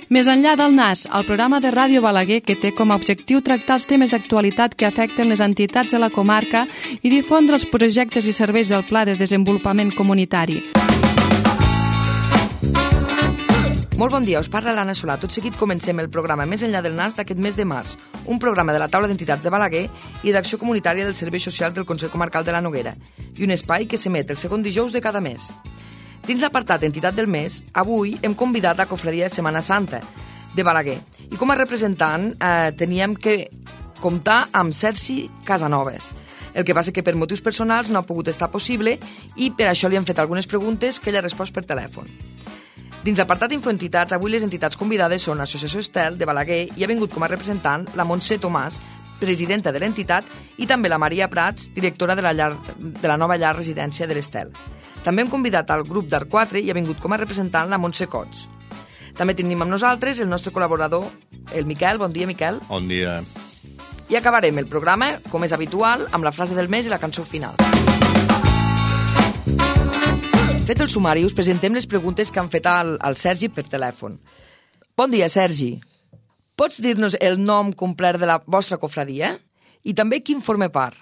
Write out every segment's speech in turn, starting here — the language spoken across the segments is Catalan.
Més enllà del NAS, el programa de Ràdio Balaguer que té com a objectiu tractar els temes d'actualitat que afecten les entitats de la comarca i difondre els projectes i serveis del Pla de Desenvolupament Comunitari. Molt bon dia, us parla l'Anna Solà. Tot seguit comencem el programa Més enllà del NAS d'aquest mes de març, un programa de la taula d'entitats de Balaguer i d'acció comunitària dels serveis socials del Consell Comarcal de la Noguera i un espai que s'emet el segon dijous de cada mes. Dins l'apartat Entitat del Mes, avui hem convidat la Cofradia de Setmana Santa de Balaguer i com a representant teníem que comptar amb Sergi Casanovas. El que passa que per motius personals no ha pogut estar possible i per això li han fet algunes preguntes que ell ha respost per telèfon. Dins l'apartat Infoentitats, avui les entitats convidades són l'Associació Estel de Balaguer i ha vingut com a representant la Montse Tomàs, presidenta de l'entitat, i també la Maria Prats, directora de la nova llar residència de l'Estel. També hem convidat al grup d'Art 4 i ha vingut com a representant la Montse Cots. També tenim amb nosaltres el nostre col·laborador, el Miquel. Bon dia, Miquel. Bon dia. I acabarem el programa, com és habitual, amb la frase del mes i la cançó final. Fet el sumari, us presentem les preguntes que han fet al Sergi per telèfon. Bon dia, Sergi. Pots dir-nos el nom complet de la vostra cofradia? I també quin forma part?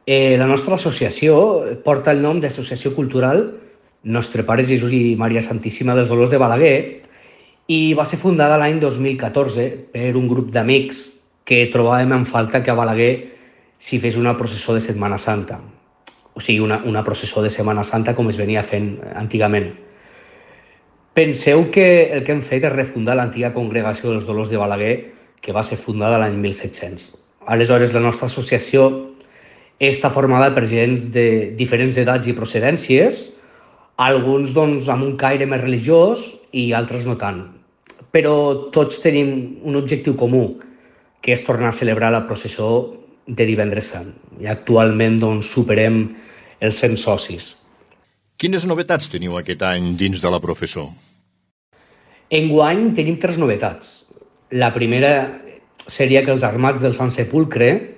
La nostra associació porta el nom d'Associació Cultural Nostre Pare Jesús i Maria Santíssima dels Dolors de Balaguer i va ser fundada l'any 2014 per un grup d'amics que trobàvem en falta que a Balaguer s'hi fes una processó de Setmana Santa. O sigui, una processó de Setmana Santa com es venia fent antigament. Penseu que el que hem fet és refundar l'antiga Congregació dels Dolors de Balaguer, que va ser fundada l'any 1700. Aleshores, la nostra associació està formada per gent de diferents edats i procedències, alguns amb un caire més religiós i altres no tant. Però tots tenim un objectiu comú, que és tornar a celebrar la processó de Divendres Sant. I actualment superem els 100 socis. Quines novetats teniu aquest any dins de la professó? Enguany tenim 3 novetats. La primera seria que els armats del Sant Sepulcre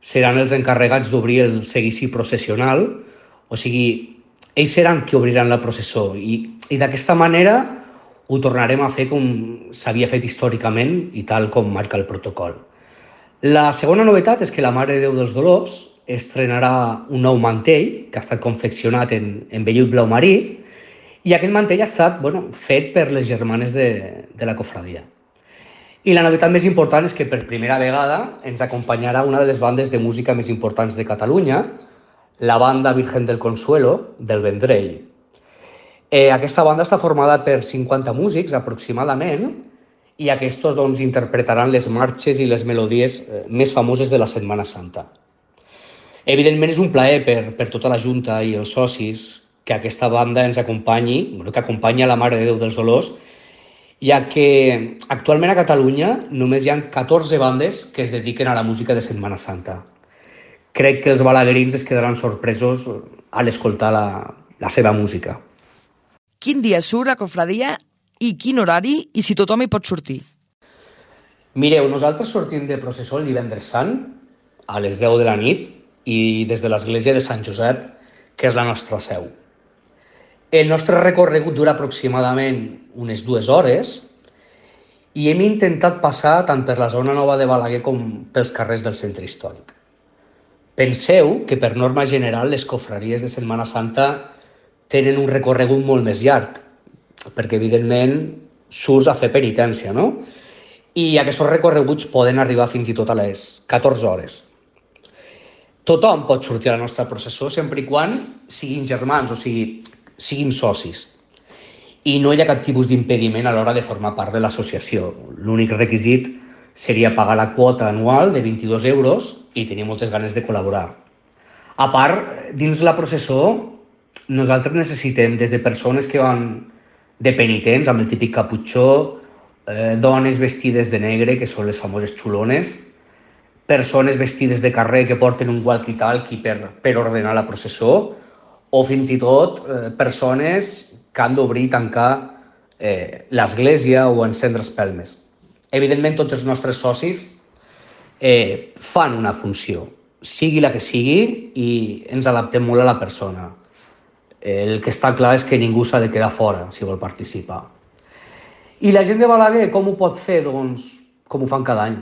seran els encarregats d'obrir el seguici processional, o sigui, ells seran qui obriran la processó i d'aquesta manera ho tornarem a fer com s'havia fet històricament i tal com marca el protocol. La segona novetat és que la Mare de Déu dels Dolors estrenarà un nou mantell que ha estat confeccionat en vellut blau marí i aquest mantell ha estat fet per les germanes de la cofradia. I la novetat més important és que per primera vegada ens acompanyarà una de les bandes de música més importants de Catalunya, la banda Virgen del Consuelo, del Vendrell. Aquesta banda està formada per 50 músics aproximadament i aquests interpretaran les marxes i les melodies més famoses de la Setmana Santa. Evidentment és un plaer per tota la Junta i els socis que aquesta banda ens acompanyi, que acompanya la Mare de Déu dels Dolors, ja que actualment a Catalunya només hi ha 14 bandes que es dediquen a la música de Setmana Santa. Crec que els balaguerins es quedaran sorpresos a l'escoltar la seva música. Quin dia surt la cofradia i quin horari i si tothom hi pot sortir? Mireu, nosaltres sortim de processó el Divendres Sant a les 10 de la nit i des de l'església de Sant Josep, que és la nostra seu. El nostre recorregut dura aproximadament unes 2 hores i hem intentat passar tant per la zona nova de Balaguer com pels carrers del centre històric. Penseu que per norma general les cofraries de Setmana Santa tenen un recorregut molt més llarg, perquè evidentment surts a fer penitència, no? I aquests recorreguts poden arribar fins i tot a les 14 hores. Tothom pot sortir a la nostra processó sempre i quan siguin germans, o sigui, siguin socis. I no hi ha cap tipus d'impediment a l'hora de formar part de l'associació. L'únic requisit seria pagar la quota anual de 22 euros i tenir moltes ganes de col·laborar. A part, dins la processó, nosaltres necessitem des de persones que van de penitents, amb el típic caputxó, dones vestides de negre, que són les famoses xulones, persones vestides de carrer que porten un walkie-talkie per ordenar la processó, o fins i tot persones que han d'obrir i tancar l'església o encendre espelmes. Evidentment, tots els nostres socis fan una funció, sigui la que sigui, i ens adaptem molt a la persona. El que està clar és que ningú s'ha de quedar fora si vol participar. I la gent de Balaguer com ho pot fer? Doncs com ho fan cada any,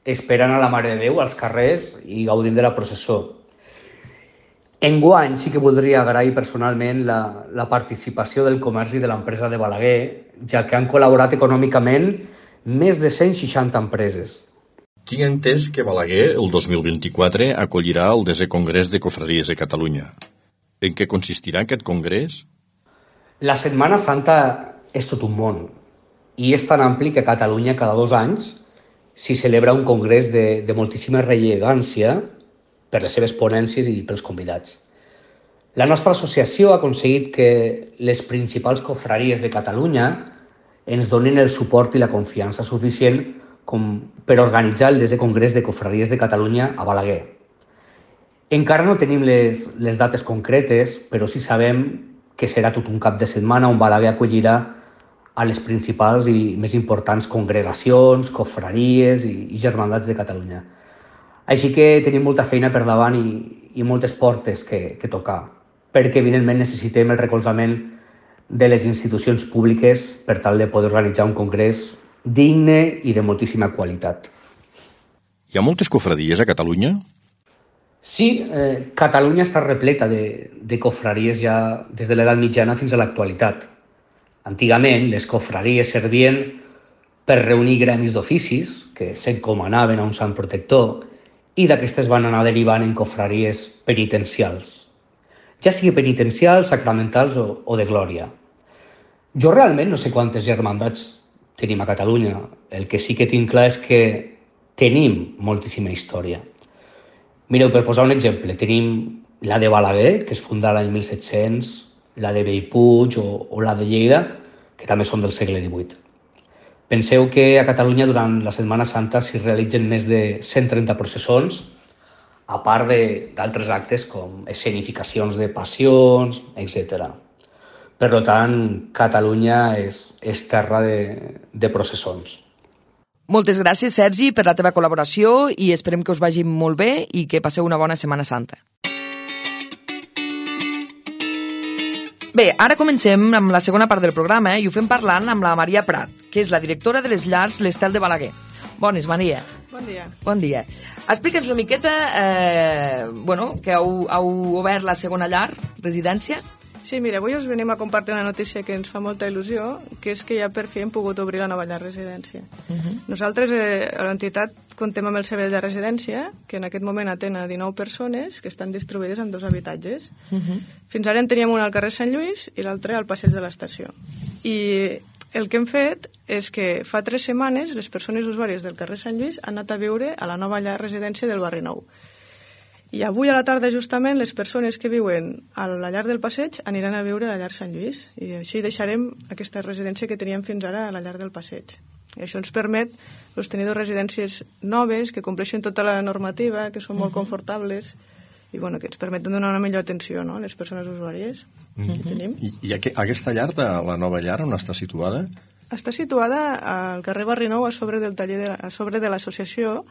esperant a la Mare de Déu als carrers i gaudint de la processó. Enguany sí que voldria agrair personalment la participació del comerç i de l'empresa de Balaguer, ja que han col·laborat econòmicament més de 160 empreses. Tinc entès que Balaguer, el 2024, acollirà el 10è Congrés de Cofraries de Catalunya. En què consistirà aquest congrés? La Setmana Santa és tot un món i és tan ampli que a Catalunya cada 2 anys s'hi celebra un congrés de moltíssima rellevància per les seves ponències i pels convidats. La nostra associació ha aconseguit que les principals cofraries de Catalunya ens donin el suport i la confiança suficient com per organitzar el 10è Congrés de Cofraries de Catalunya a Balaguer. Encara no tenim les dates concretes, però sí sabem que serà tot un cap de setmana on Balaguer acollirà a les principals i més importants congregacions, cofraries i germandats de Catalunya. Així que tenim molta feina per davant i moltes portes que tocar, perquè evidentment necessitem el recolzament de les institucions públiques per tal de poder organitzar un congrés digne i de moltíssima qualitat. Hi ha moltes cofradies a Catalunya? Sí, Catalunya està repleta de cofraries ja des de l'edat mitjana fins a l'actualitat. Antigament, les cofraries servien per reunir gremis d'oficis que s'encomanaven a un sant protector i d'aquestes van anar derivant en cofraries penitencials, ja sigui penitencials, sacramentals o de glòria. Jo realment no sé quantes germandats tenim a Catalunya. El que sí que tinc clar és que tenim moltíssima història. Mireu, per posar un exemple, tenim la de Balaguer, que es fundà l'any 1700, la de Bellpuig o la de Lleida, que també són del segle XVIII. Penseu que a Catalunya durant la Setmana Santa s'hi realitzen més de 130 processons, a part d'altres actes com escenificacions de passions, etc. Per tant, Catalunya és terra de processons. Moltes gràcies, Sergi, per la teva col·laboració i esperem que us vagi molt bé i que passeu una bona Setmana Santa. Bé, ara comencem amb la segona part del programa i ho fem parlant amb la Maria Prat, que és la directora de les llars l'Estel de Balaguer. Bones, Maria. Bon dia. Bon dia. Explica'ns una miqueta que heu obert la segona llar, residència. Sí, mira, avui us venim a compartir una notícia que ens fa molta il·lusió, que és que ja per fi hem pogut obrir la nova llar residència. Nosaltres, a l'entitat, comptem amb el servei de residència, que en aquest moment atén a 19 persones que estan distribuïdes en 2 habitatges. Fins ara en teníem un al carrer Sant Lluís i l'altre al passeig de l'estació. I el que hem fet és que fa 3 setmanes les persones usuàries del carrer Sant Lluís han anat a viure a la nova llar residència del barri Nou. I avui a la tarda, justament, les persones que viuen a la llar del passeig aniran a viure a la llar Sant Lluís. I així deixarem aquesta residència que teníem fins ara a la llar del passeig. I això ens permet tenir 2 residències noves, que compleixen tota la normativa, que són molt confortables i que ens permeten donar una millor atenció a les persones usuàries que tenim. I aquesta llar, la nova llar, on està situada? Està situada al carrer Barri Nou, a sobre de l'associació,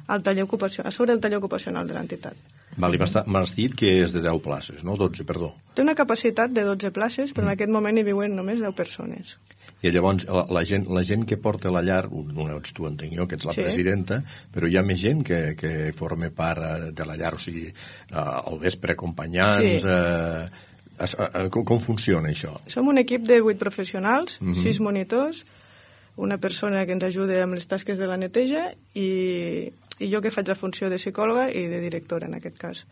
al taller a sobre del taller ocupacional de l'entitat. M'has dit que és de 10 places, no? 12, perdó. Té una capacitat de 12 places, però en aquest moment hi viuen només 10 persones. I llavors la gent que porta la llar, no ets tu, entenc jo, que ets la presidenta, però hi ha més gent que forma part de la llar, o sigui, al vespre acompanyants... Com funciona això? Som un equip de 8 professionals, 6 monitors, una persona que ens ajuda amb les tasques de la neteja i jo que faig la funció de psicòloga i de directora, en aquest cas.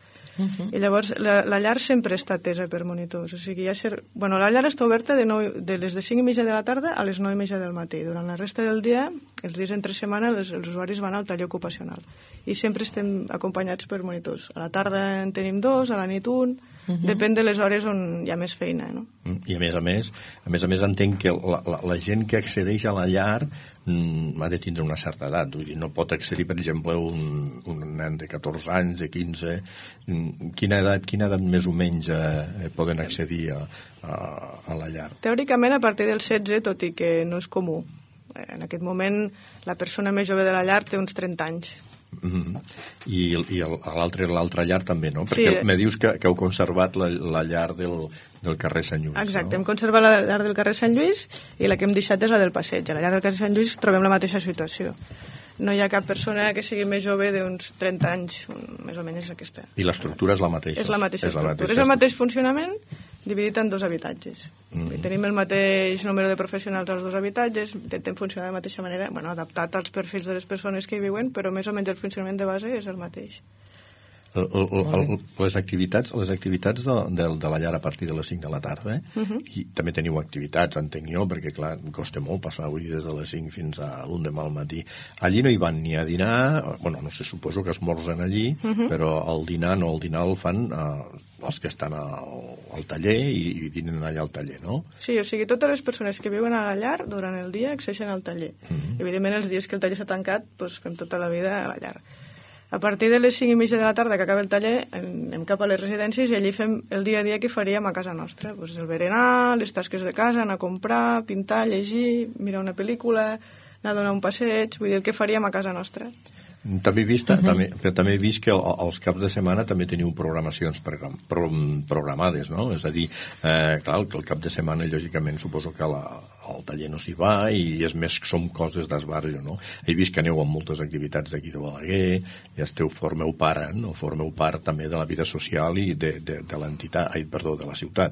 I llavors la llar sempre està atesa per monitors. O sigui, la llar està oberta de les de 5:30 de la tarda a les 9:30 del matí. Durant la resta del dia, els dies entre setmana, els usuaris van al taller ocupacional. I sempre estem acompanyats per monitors. A la tarda en tenim 2, a la nit 1... Depèn de les hores on hi ha més feina, no? I a més a més entenc que la gent que accedeix a la llar ha de tindre una certa edat. Vull dir, no pot accedir, per exemple, un nen de 14 anys, de 15... Quina edat més o menys poden accedir a la llar? Teòricament a partir dels 16, tot i que no és comú. En aquest moment la persona més jove de la llar té uns 30 anys. I l'altra llar també, no? Perquè me dius que heu conservat la llar del carrer Sant Lluís. Exacte, no? hem conservat la llar del carrer Sant Lluís i la que hem deixat és la del passeig. A la llar del carrer Sant Lluís trobem la mateixa situació. No hi ha cap persona que sigui més jove d'uns 30 anys, més o menys aquesta. I l'estructura és la mateixa? És la mateixa estructura. És el mateix funcionament dividit en 2 habitatges. Tenim el mateix número de professionals als 2 habitatges, intentem funcionar de la mateixa manera, adaptat als perfils de les persones que hi viuen, però més o menys el funcionament de base és el mateix. Les activitats de la llar a partir de les 5 de la tarda, i també teniu activitats, entenc jo, perquè clar, costa molt passar avui des de les 5 fins a l'1 demà al matí. Allí no hi van ni a dinar, no sé, suposo que esmorzen allí, però el dinar el fan els que estan al taller i dinen allà al taller, no? Sí, o sigui, totes les persones que viuen a la llar durant el dia accedeixen al taller. Evidentment, els dies que el taller s'ha tancat, doncs fem tota la vida a la llar. A partir de les 5:30 de la tarda que acaba el taller anem cap a les residències i allí fem el dia a dia que faríem a casa nostra. Pues el berenar, les tasques de casa, anar a comprar, pintar, llegir, mirar una pel·lícula, anar a donar un passeig, vull dir el que faríem a casa nostra. També he vist que als caps de setmana també teniu programacions programades, no? És a dir, clar, que el cap de setmana, lògicament, suposo que al taller no s'hi va i és més que són coses d'esbarjo, no? He vist que aneu amb moltes activitats d'aquí de Balaguer, ja formeu part també de la vida social i de l'entitat, de la ciutat.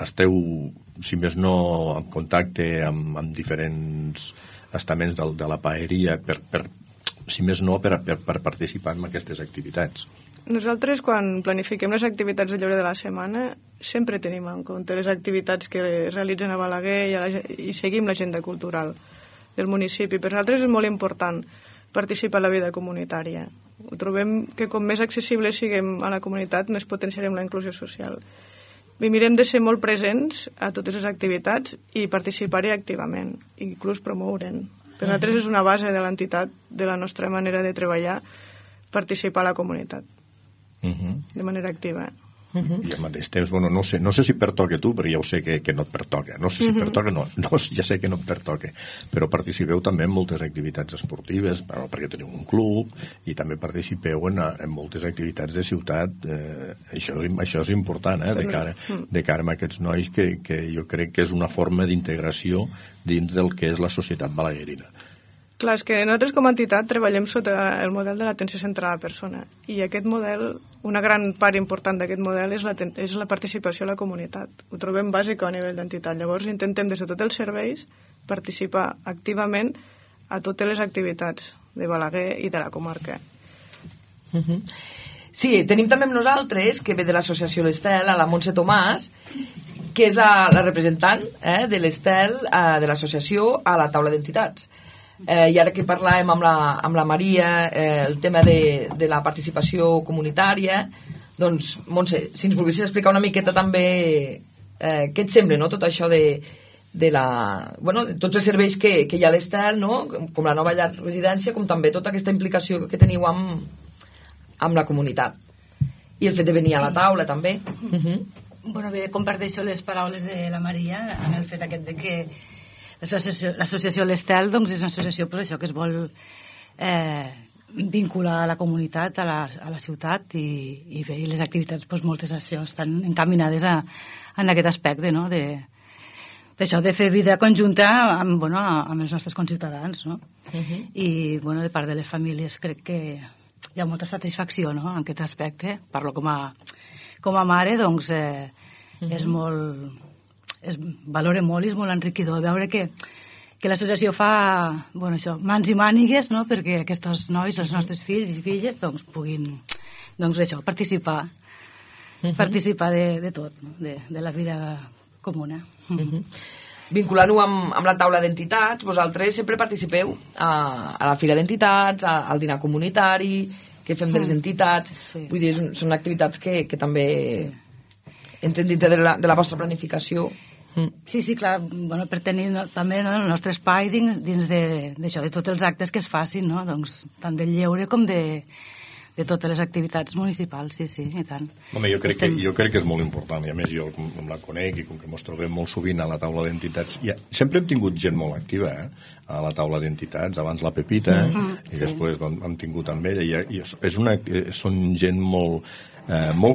Esteu, si més no, en contacte amb diferents estaments de la paeria si més no, per participar en aquestes activitats. Nosaltres, quan planifiquem les activitats de lleure de la setmana, sempre tenim en compte les activitats que es realitzen a Balaguer i seguim l'agenda cultural del municipi. Per nosaltres és molt important participar en la vida comunitària. Ho trobem que com més accessibles siguem a la comunitat, més potenciarem la inclusió social. I mirem de ser molt presents a totes les activitats i participar-hi activament, inclús promoure'n. Per nosaltres és una base de l'entitat, de la nostra manera de treballar, participar a la comunitat de manera activa. I al mateix temps, no sé si pertoca tu, però ja ho sé que no et pertoca. No sé si pertoca, ja sé que no et pertoca. Però participeu també en moltes activitats esportives, perquè teniu un club, i també participeu en moltes activitats de ciutat. Això és important, de cara a aquests nois, que jo crec que és una forma d'integració dins del que és la societat balaguerina. Clar, és que nosaltres com a entitat treballem sota el model de l'atenció centrada a la persona i aquest model, una gran part important d'aquest model és la participació a la comunitat. Ho trobem bàsic a nivell d'entitat. Llavors intentem des de tots els serveis participar activament a totes les activitats de Balaguer i de la comarca. Sí, tenim també amb nosaltres, que ve de l'associació l'Estel, a la Montse Tomàs, que és la representant de l'Estel de l'associació a la taula d'entitats. I ara que parlàvem amb la Maria el tema de la participació comunitària, doncs, Montse, si ens volguessis explicar una miqueta també què et sembla, no?, tot això de tots els serveis que hi ha a l'Estel, no?, com la nova llar residència, com també tota aquesta implicació que teniu amb la comunitat i el fet de venir a la taula també. Bé, comparteixo les paraules de la Maria en el fet aquest de que l'associació l'Estel és una associació que es vol vincular a la comunitat, a la ciutat, i les activitats, moltes estan encaminades en aquest aspecte, no?, d'això, de fer vida conjunta amb els nostres conciutadans, no? I de part de les famílies crec que hi ha molta satisfacció, no?, en aquest aspecte. Parlo com a mare, doncs és molt... valora molt i és molt enriquidor veure que l'associació fa mans i mànigues, no?, perquè aquests nois, els nostres fills i filles, puguin participar de tot, no?, de la vida comuna. Vinculant-ho amb la taula d'entitats, vosaltres sempre participeu a la fira d'entitats, al dinar comunitari que fem de les entitats, vull dir, són activitats que també entren dintre de la vostra planificació. Sí, clar, per tenir també el nostre espai dins d'això, de tots els actes que es facin, no?, tant del lleure com de de totes les activitats municipals, sí, i tant. Home, jo crec que és molt important, i a més jo com la conec i com que ens trobem molt sovint a la taula d'entitats, sempre hem tingut gent molt activa, a la taula d'entitats, abans la Pepita, i després hem tingut amb ella, i són gent molt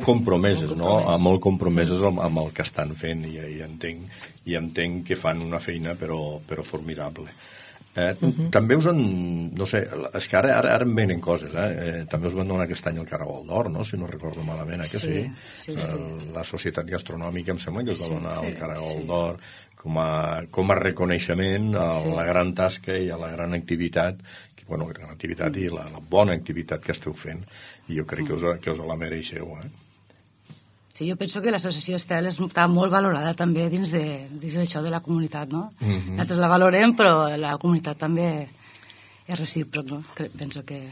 compromeses, no? Molt compromeses amb el que estan fent, i entenc que fan una feina però formidable. També us han... No sé, és que ara em venen coses, també us van donar aquest any el Caragol d'Or, no? Si no recordo malament, que sí? La Societat Gastronòmica em sembla que us va donar el Caragol d'Or com a reconeixement a la gran tasca i a la gran activitat, gran activitat i la bona activitat que esteu fent, i jo crec que us la mereixeu, Sí, jo penso que l'associació Estel està molt valorada també dins d'això de la comunitat, no? Nosaltres la valorem, però la comunitat també és recíproc, no? Penso que...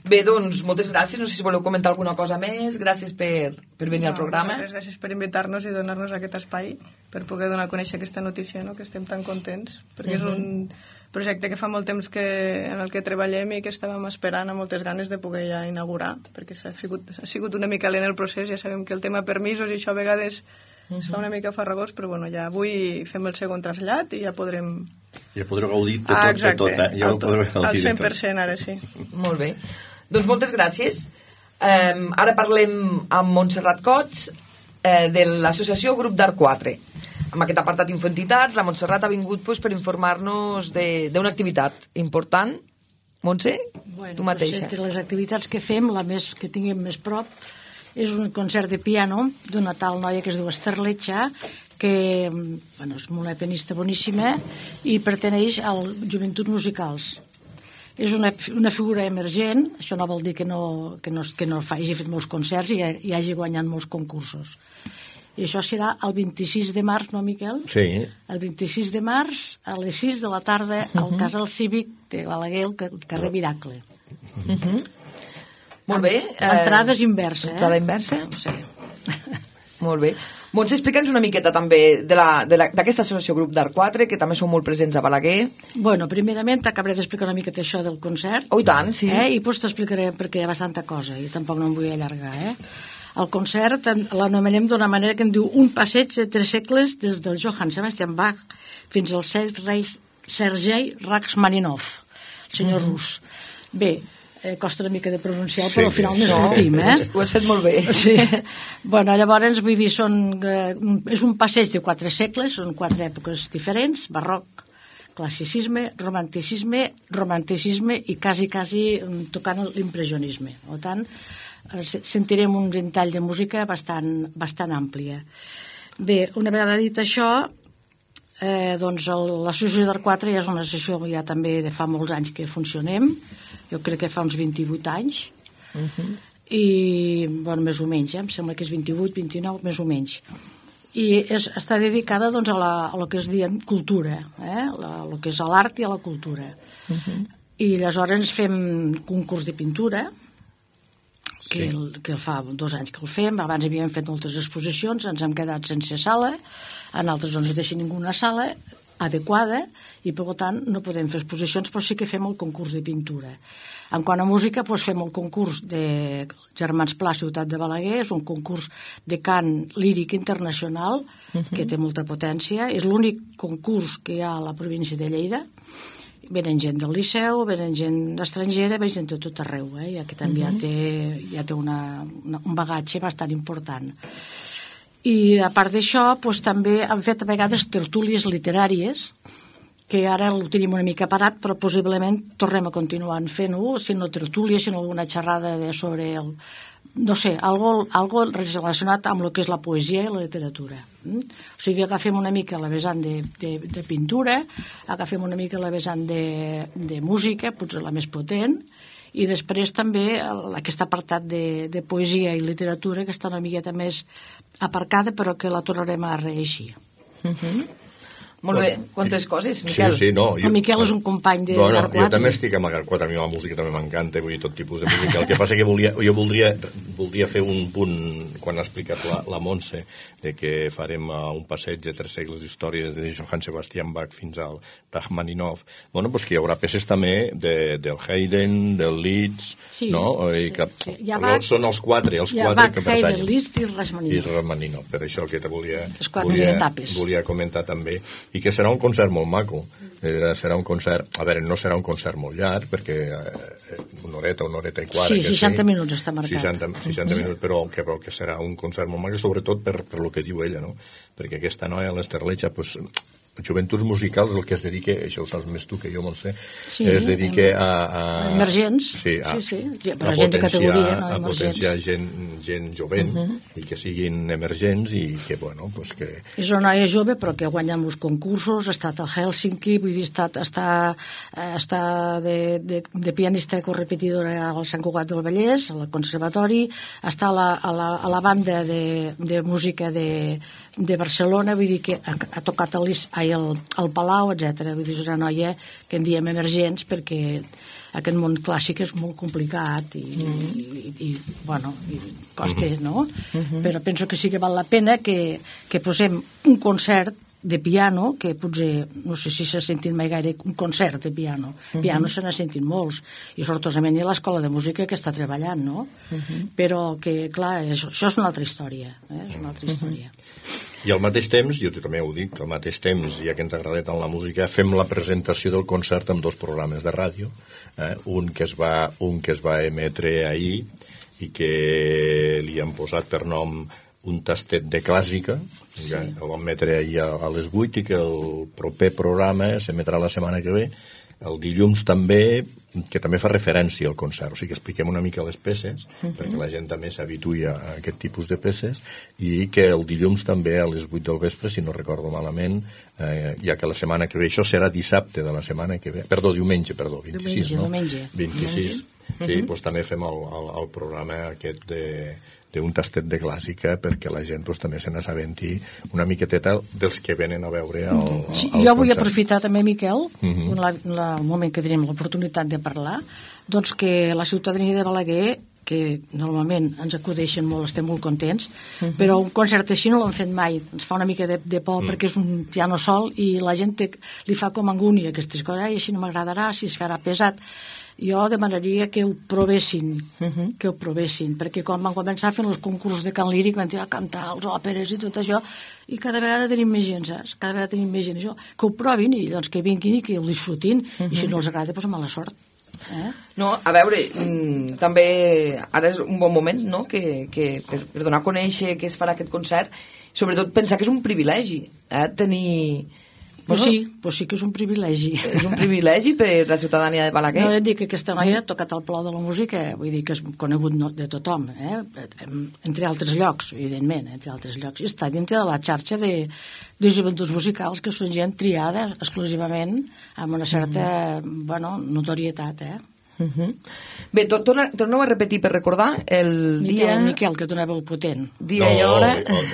Bé, doncs, moltes gràcies. No sé si voleu comentar alguna cosa més. Gràcies per venir al programa. Moltes gràcies per invitar-nos i donar-nos aquest espai per poder donar a conèixer aquesta notícia, no? Que estem tan contents, perquè és un projecte que fa molt temps en el que treballem i que estàvem esperant amb moltes ganes de poder ja inaugurar, perquè ha sigut una mica lent el procés. Ja sabem que el tema permisos i això a vegades es fa una mica farragós, però ja avui fem el segon trasllat i ja podrem... Ja podreu gaudir de tot, al 100% ara sí. Molt bé. Doncs moltes gràcies. Ara parlem amb Montserrat Cots de l'associació Grup d'Art 4. Amb aquest apartat Infoentitats, la Montserrat ha vingut per informar-nos d'una activitat important. Montse, tu mateixa. Entre les activitats que fem, la que tinguem més prop, és un concert de piano d'una tal noia que es diu Esther Letxa, que és una pianista boníssima i perteneix al Joventuts Musicals. És una figura emergent, això no vol dir que no hagi fet molts concerts i hagi guanyat molts concursos. I això serà el 26 de març, no, Miquel? Sí. El 26 de març, a les 6 de la tarda, al Casal Cívic de Balaguer, al carrer Miracle. Molt bé. L'entrada és inversa, L'entrada inversa? Sí. Molt bé. Montse, explica'ns una miqueta també d'aquesta associació Grup d'Art 4, que també són molt presents a Balaguer. Bueno, primerament t'acabaré d'explicar una miqueta això del concert. Oh, i tant, sí. I després t'explicaré perquè hi ha bastanta cosa i tampoc no em vull allargar, El concert l'anomenem d'una manera que en diu un passeig de 3 segles des del Johann Sebastian Bach fins al Sergei Rachmaninoff, el senyor rus. Bé, costa una mica de pronunciar, però al final no sortim, Ho has fet molt bé. Sí. Bueno, llavors, vull dir, és un passeig de 4 segles, són 4 èpoques diferents, barroc, classicisme, romanticisme i quasi tocant l'impressionisme. Per tant, sentirem un ventall de música bastant àmplia. Bé, una vegada dit això, doncs l'associació d'Art 4 ja és una associació ja també de fa molts anys que funcionem, jo crec que fa uns 28 anys, i, bueno, més o menys, em sembla que és 28, 29, més o menys. I està dedicada doncs, a lo que es diuen cultura, a lo que és a l'art i a la cultura. I aleshores fem concurs de pintura, que fa 2 anys que el fem. Abans havíem fet moltes exposicions, ens hem quedat sense sala, en altres no ens deixen ninguna sala adequada i per tant no podem fer exposicions, però sí que fem el concurs de pintura. En quant a música, doncs fem el concurs de Germans Pla, Ciutat de Balaguer, és un concurs de cant líric internacional que té molta potència, és l'únic concurs que hi ha a la província de Lleida. Venen gent del Liceu, venen gent estrangera, venen gent de tot arreu, i aquest també ja té un bagatge bastant important. I a part d'això, doncs, també han fet a vegades tertúlies literàries, que ara ho tenim una mica parat, però possiblement tornem a continuar fent-ho, si no tertúlies, sinó alguna xerrada sobre no sé, algo relacionat amb el que és la poesia i la literatura. O sigui, agafem una mica la vessant de pintura, agafem una mica la vessant de música, potser la més potent, i després també aquest apartat de poesia i literatura, que està una miqueta més aparcada, però que la tornarem a reeixir. Molt bé, quantes coses, Miquel. Sí, no. El Miquel és un company de Bueno, Arc 4. jo també estic amb Arc 4, a mi la música també m'encanta, vull dir, tot tipus de música. El que passa que jo voldria fer un punt, quan ha explicat la Montse, de que farem un passeig de 3 segles d'història des de Johann Sebastian Bach fins al Rachmaninoff. Bueno, doncs que hi haurà peces també del Haydn, del Liszt, Sí, no? I que són els quatre Bach, que pertanyen. Haydn, Liszt i Rachmaninoff. I Rachmaninoff, per això que Les 4 etapes. volia comentar també, i que serà un concert molt maco. Serà un concert, a veure, no serà un concert molt llarg, perquè una horeta i quart. Sí, 60 minuts està marcat. 60 minuts, però que serà un concert molt maco, sobretot per lo que diu ella, no? Perquè aquesta noia, l'Ester Lecha, pues, joventuts musicals, el que es dedica, això ho saps més tu que jo, Montse, es dedica a emergents, sí, a gent de categoria, no? A potenciar gent jovent i que siguin emergents i que, bueno, pues que... És una noia jove, però que guanya molts concursos, ha estat a Helsinki, vull dir, està de pianista correpetidora al Sant Cugat del Vallès, al Conservatori, està a la banda de música de Barcelona, vull dir que ha tocat al Palau, etc. Vull dir, és una noia que en diem emergents perquè aquest món clàssic és molt complicat i costa, no? Però penso que sí que val la pena que posem un concert de piano, que potser, no sé si s'ha sentit mai gaire un concert de piano. Piano se n'ha sentit molts, i sortosament hi ha l'escola de música que està treballant, no? Però que, clar, això és una altra història, és una altra història. I al mateix temps, jo també ho dic, al mateix temps, ja que ens agrada tant la música, fem la presentació del concert amb 2 programes de ràdio, un que es va emetre ahir i que li han posat per nom un tastet de clàssica, sí. El vam emetre ahir a les 8 i que el proper programa s'emetrà la setmana que ve, el dilluns també, que també fa referència al concert, o sigui que expliquem una mica les peces, perquè la gent també s'habituï a aquest tipus de peces, i que el dilluns també a les 8 del vespre, si no recordo malament, ja que la setmana que ve, això serà dissabte de la setmana que ve, diumenge, 26, no? Diumenge. 26. Sí, doncs també fem el programa aquest d'un tastet de clàssica perquè la gent també se n'assabenti una miqueteta dels que venen a veure el concert. Jo vull aprofitar també, Miquel, el moment que tenim l'oportunitat de parlar, doncs que la ciutadania de Balaguer, que normalment ens acudeixen molt, estem molt contents, però un concert així no l'hem fet mai, ens fa una mica de por perquè és un piano sol i la gent li fa com angúnia aquestes coses, i així no m'agradarà, si es farà pesat. Jo demanaria que ho provessin, perquè quan van començar fent els concursos de cant líric van tirar a cantar els òperes i tot això, i cada vegada tenim més gent, saps? Cada vegada tenim més gent, això. Que ho provin i doncs que vinguin i que ho disfrutin, i si no els agrada, doncs mala sort. No, a veure, també ara és un bon moment, no?, que per donar a conèixer que es farà aquest concert, sobretot pensar que és un privilegi, tenir... Pues sí que és un privilegi. És un privilegi per la ciutadania de Balaguer. No, et dic que aquesta noia ha tocat el Palau de la Música, vull dir que és conegut de tothom, entre altres llocs, evidentment, entre altres llocs. I està dintre de la xarxa de joventuts musicals, que són gent triada exclusivament amb una certa notorietat, Bé, torneu a repetir per recordar el dia... Miquel, que donava el potent. Dia i hora...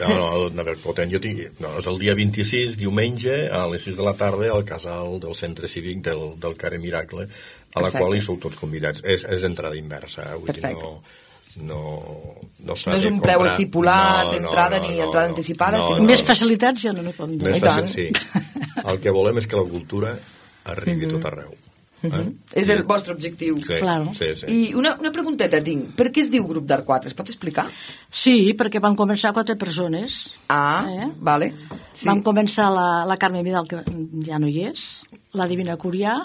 No, donava el potent. És el dia 26, diumenge, a les 6 de la tarda, al casal del centre cívic del Carrer Miracle, a la qual hi sou tots convidats. És entrada inversa. Perfecte. No és un preu estipulat, entrada ni entrada anticipada. Més facilitats ja no podem dir. Sí. El que volem és que la cultura arribi a tot arreu. És el vostre objectiu. Claro. Sí. I una pregunteta tinc. Per què es diu Grup d'Arc 4? Es pot explicar? Sí, perquè van començar 4 persones. Vale. Sí. Van començar la Carme Vidal, que ja no hi és, la Divina Curià,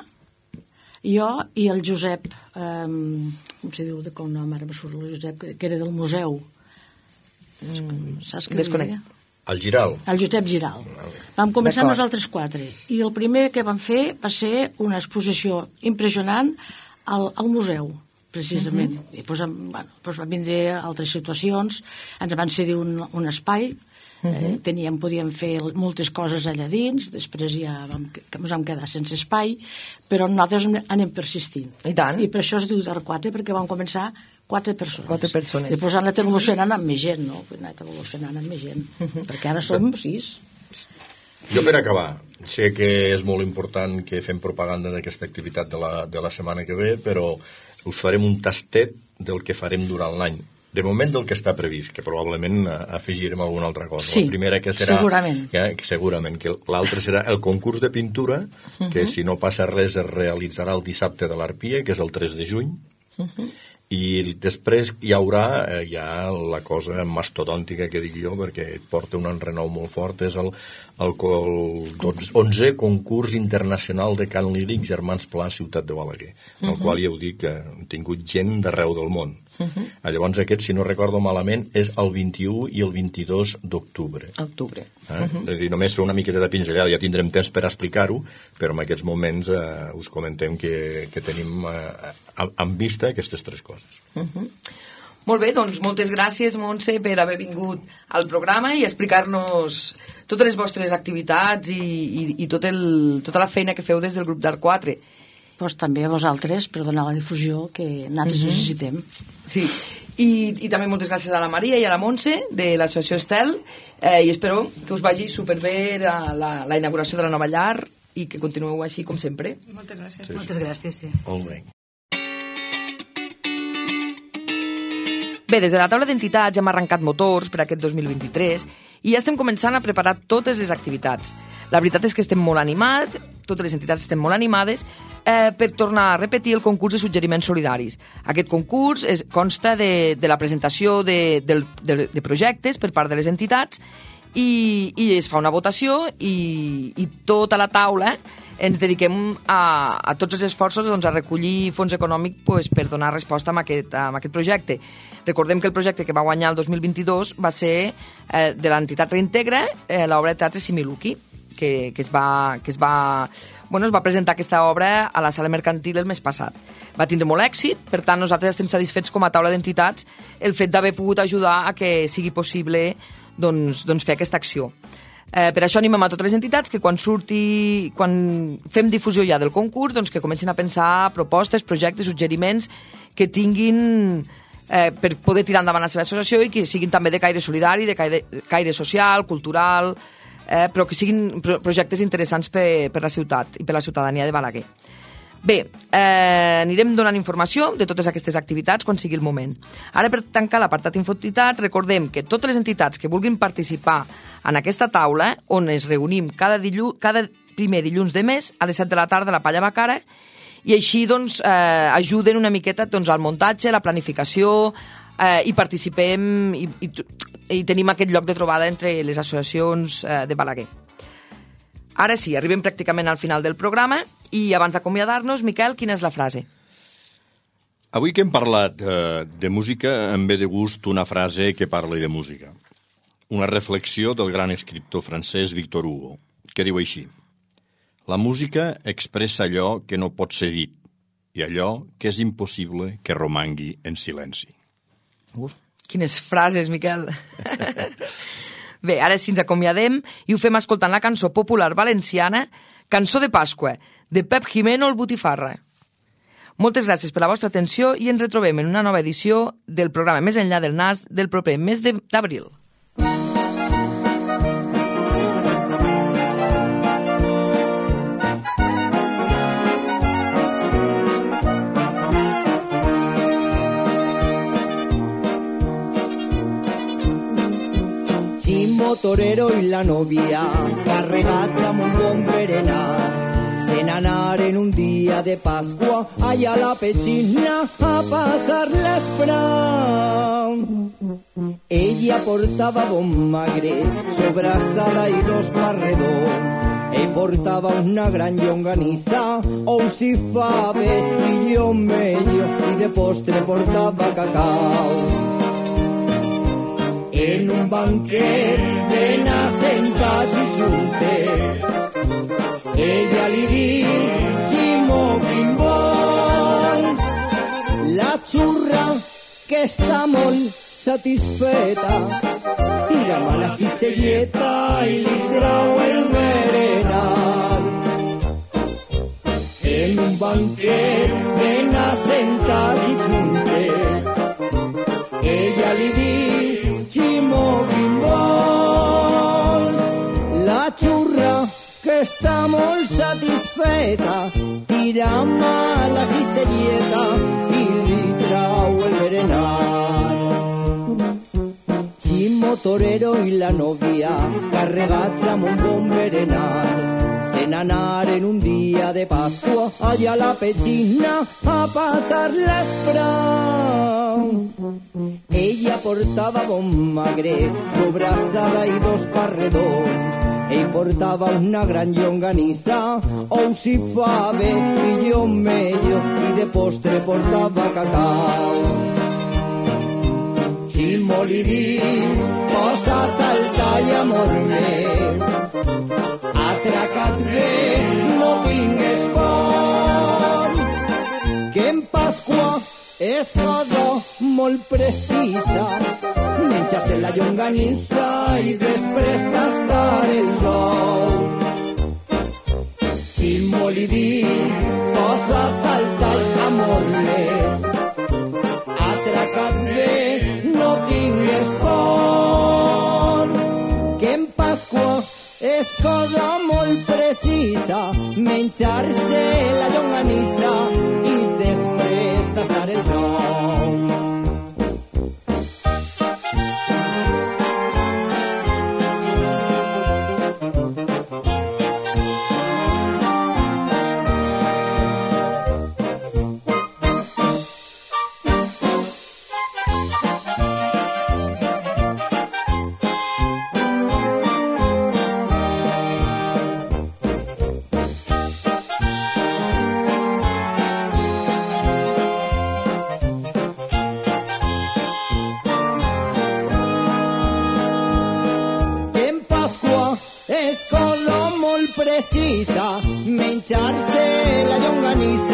jo i el Josep, com se diu de com nom, ara me surt el Josep, que era del museu. Saps què Desconec. El Giral. El Josep Giral. Vam començar nosaltres 4. I el primer que vam fer va ser una exposició impressionant al museu, precisament. I doncs van vindre altres situacions, ens van cedir un espai, podíem fer moltes coses allà dins, després ja ens vam quedar sense espai, però nosaltres anem persistint. I tant. I per això es diu d'Arc 4, perquè vam començar 4 persones. 4 persones. Després han anat evolucionant amb més gent, no? Han anat evolucionant amb més gent, perquè ara som 6. Jo per acabar, sé que és molt important que fem propaganda d'aquesta activitat de la setmana que ve, però us farem un tastet del que farem durant l'any. De moment del que està previst, que probablement afegirem alguna altra cosa. Sí, la primera que serà, segurament. Segurament, que l'altra serà el concurs de pintura, que si no passa res es realitzarà el dissabte de l'Arpia, que és el 3 de juny, i després hi haurà ja la cosa mastodòntica que dic jo, perquè et porta un enrenou molt fort, és el 11è concurs internacional de cant líric Germans Pla Ciutat de Balaguer, en el qual ja ho dic que hem tingut gent d'arreu del món. Llavors aquest, si no recordo malament, és el 21 i el 22 d'octubre. És a dir, només fer una miqueta de pinzellada, ja tindrem temps per explicar-ho, però en aquests moments us comentem que tenim en vista aquestes tres coses. Molt bé, doncs moltes gràcies, Montse, per haver vingut al programa i explicar-nos totes les vostres activitats i tota la feina que feu des del grup d'Art 4. Pues també a vosaltres per donar la difusió que nosaltres necessitem. Sí, i també moltes gràcies a la Maria i a la Montse de l'associació Estel i espero que us vagi superbé la inauguració de la nova llar i que continueu així com sempre. Moltes gràcies. Sí. Moltes gràcies, sí. Molt bé. Bé, des de la taula d'entitats hem arrencat motors per aquest 2023 i ja estem començant a preparar totes les activitats. La veritat és que estem molt animats, totes les entitats estem molt animades per tornar a repetir el concurs de suggeriments solidaris. Aquest concurs consta de la presentació de projectes per part de les entitats i es fa una votació i tota la taula ens dediquem a tots els esforços a recollir fons econòmic per donar resposta a aquest projecte. Recordem que el projecte que va guanyar el 2022 va ser de l'entitat Reintegra, l'obra de teatre Similuki, que es va presentar aquesta obra a la sala mercantil el mes passat. Va tindre molt èxit, per tant nosaltres estem satisfets com a taula d'entitats el fet d'haver pogut ajudar a que sigui possible fer aquesta acció. Per això animem a totes les entitats que quan fem difusió ja del concurs, que comencin a pensar propostes, projectes, suggeriments que tinguin per poder tirar endavant la seva associació i que siguin també de caire solidari, de caire social, cultural, però que siguin projectes interessants per la ciutat i per la ciutadania de Balaguer. Bé, anirem donant informació de totes aquestes activitats quan sigui el moment. Ara, per tancar l'apartat Infoentitats, recordem que totes les entitats que vulguin participar en aquesta taula, on es reunim cada primer dilluns de mes a les 7 de la tarda a la Palla Bacara, i així ajuden una miqueta al muntatge, la planificació, i participem i tenim aquest lloc de trobada entre les associacions de Balaguer. Ara sí, arribem pràcticament al final del programa i abans d'acomiadar-nos, Miquel, quina és la frase? Avui que hem parlat de música, em ve de gust una frase que parla de música. Una reflexió del gran escriptor francès Victor Hugo, que diu així: la música expressa allò que no pot ser dit i allò que és impossible que romangui en silenci. Quines frases, Miquel! Bé, ara sí ens acomiadem i ho fem escoltant la cançó popular valenciana Cançó de Pasqua, de Pep Jimeno el Botifarra. Moltes gràcies per la vostra atenció i ens retrobem en una nova edició del programa Més enllà del nas del proper mes d'abril. Torero y la novia carregats amb un bon berenar se n'anaren un dia de Pasqua allà a la petxina a passar l'esprau. Ella portava bon magre, sobrassada i dos parredors. Ell portava una gran llonganissa, ous i faves i llomello, i de postre portava cacau. En un banquet ben assentats i juntes, ella li diu, Ximo, quin vols? La xurra, que està molt satisfeta, tira mà la cistelleta i li trau el berenar. En un banquet ben assentats i juntes, ella li diu, Ximo, quin vols? La xurra, que està molt satisfeta, tira mà la cistelleta i li trau el berenar. Chimo Torero i la novia, carregats amb un bon berenar, se n'anaren un dia de Pasqua allà a la petxina a passar l'esprau. Ella portava bon magre, sobrassada i 2 parredons. Ell portava una gran llonganissa, ous i faves i llomello, i de postre portava cacau. Ximo li diu, posa't al tall, amor meu, atraca't bé, no tingues por, que en Pasqua és cosa molt precisa, menjar-se la llonganissa i després tastar els ous. Ximo li diu, posa't al tall, amor meu, atraca't bé, no tingues por, que en Pasqua és cosa molt precisa, menjar-se la llonganissa i després tastar els ous. És cosa molt precisa, menjar-se la llonganissa